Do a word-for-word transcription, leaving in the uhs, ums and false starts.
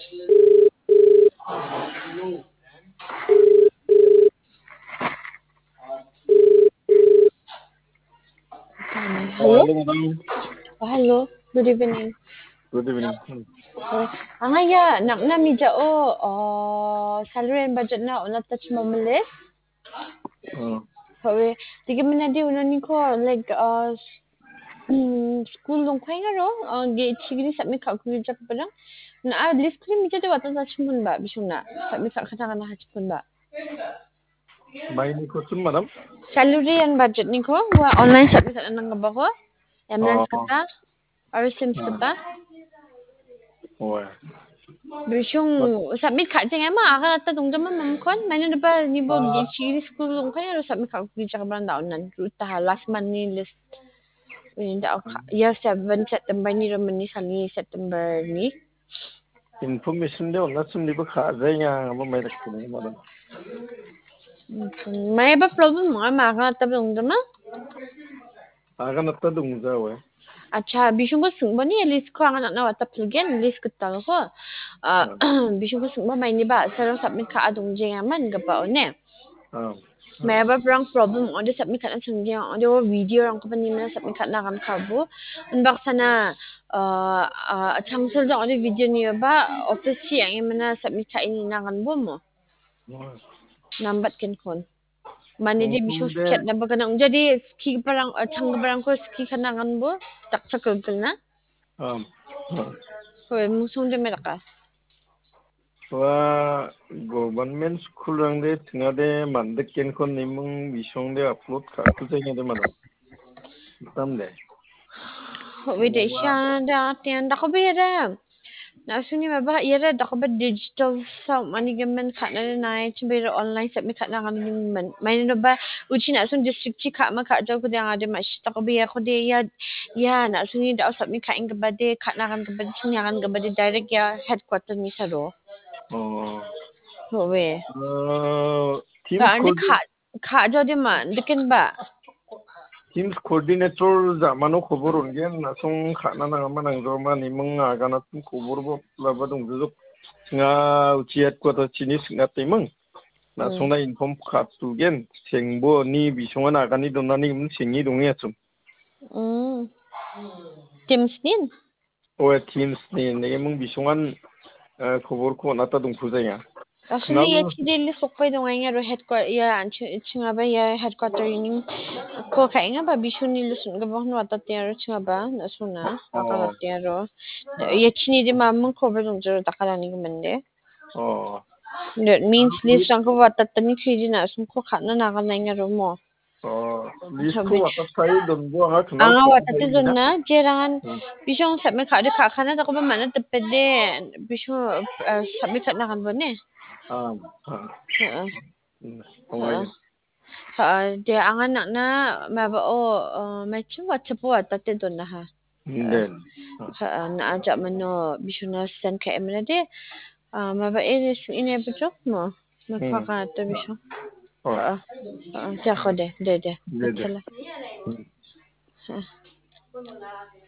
Oh, Hello? Hello, madam. Oh, hello. Good evening. Good evening. Oh, anga ia nang·na mijao, oh, salary and budget na on·atna chimamilis. Oh. Hawe, digi menadi unaniko, like, uh, mm, school longkhainga ro, uh, ge chigini submit ka-, kugijagiparang. Na, ah, list kuri mijao de watna chimonba, bisongna. Submit ka-, ka-, ka-, na chimonba. Mainiko chun, madam? Salary and budget niko, ua online submit ka-, nanggipako. Ambulance Oh. kata. Aro sim Hmm. skata. Oe. Bisong submit ka·jeng ema, agan atta dongjama mamkon, maina depa nibo Gi-, chigini school longkhainga ro submit ka-, kugijagiparang da on·na, ruta ha, last month ni list. Ini da ka-, ia seven September ni ro mani sani September ni. Information de on·na sim nibo ka·jaenga, amo mai dakchina, madam. Maiba problem ong·a, ma agan atta dongjama? Agan atta dongja oe. Acha, bisongko singba ni list ko anga nang·na wata pilgen, list gitalko. Ah, Hmm. bisongko singba mainiba, sarang submit ka-, a dongjengama ingipao ne. Hmm. Maiba brang problem ong·ode submit ka·na chongjeng ong·ode o video rangkoba nimina submit ka·na agan kabo. Unbaksana, ah, ah, changsil jong ong·ode video niba, office chi ang·e mana submit ka·e nina agan bo mo. Hmm. Nambat kenkon. Mane de bisong Ong·ode. Sketna ba gnang. Jadi skigiparang, eh, changgiparangko ski ka·na agan bo, daksa kilkilna. Am. Hoi, musong de meraka. Ua government school rangde chingade mandik kenkon nimung bisongde upload ka-, kujaingade madam. Hitam de. Hoi, de Ua. Sha da, tian da ko be da. Na·songni maba iara dakgipa digital sa manigimin ka·nani nai chimbe ira online submit ka·na gani gimin. Maina ba uchi na·song district chi ka·ma ka·jaokode angade ma·sitakoba iakode ia, ia na·songni da·o submit ka·enggipa de ka·na gangipa de chingna gangipa de direct ia headquarter ni saro. Oh. Howe. Uh, Teams Ka-, ande coordinate ka-, Ka·jaode ma, dikenba? Teams coordinator ja·mano kobor on·gen, na·song ka·na nangama nangjaoma niming aganatpin kobor bo-, laba dongjojok. Nga uchi headquarter chini sing·ateming. Na-, Hmm. songna inform ka·tugen, sengbo ni bisongan agani donani gimin sengi dongenga chum. Hmm. Teams nin? Oe, Teams ni, nenge mung bisongan, eh, koborko on·ata dongpujaenga. Asli Nang- ia chidili sokpai dongaenga ro headquarter, ia anchi-, chingaba ia headquarter ini ko kaenga ba bisoni lusun gabang no atate aro chingaba na sona, Oh. akalate aro. Ia chini de mamung kobe dongjo dakarani gemende. Oh. That means Ang list rangko watatani kiji na sungko katna naganaenga ro mo. Oh, list ko Sabi- watat kai donbo anga kenal Anga ko watate kai donna, jerangan Hmm. bisong submit ka-, de ka-, kana dako ba mana tepede, bisong, eh, submit ka-, nakan bone. Ah, ah. Heeh. Hmm, Heeh. Heeh, de anga nakna maba o, eh, macam WhatsApp o watate donna ha. Den. Heeh, na aja mano bisong na send ka-, emna de, ah, maba e, ini bujok mo. Hmm. Mapaka to bisong. Oh. Heeh. Heeh, jako de, de, de. De, de. Betul lah. Hmm. Heeh.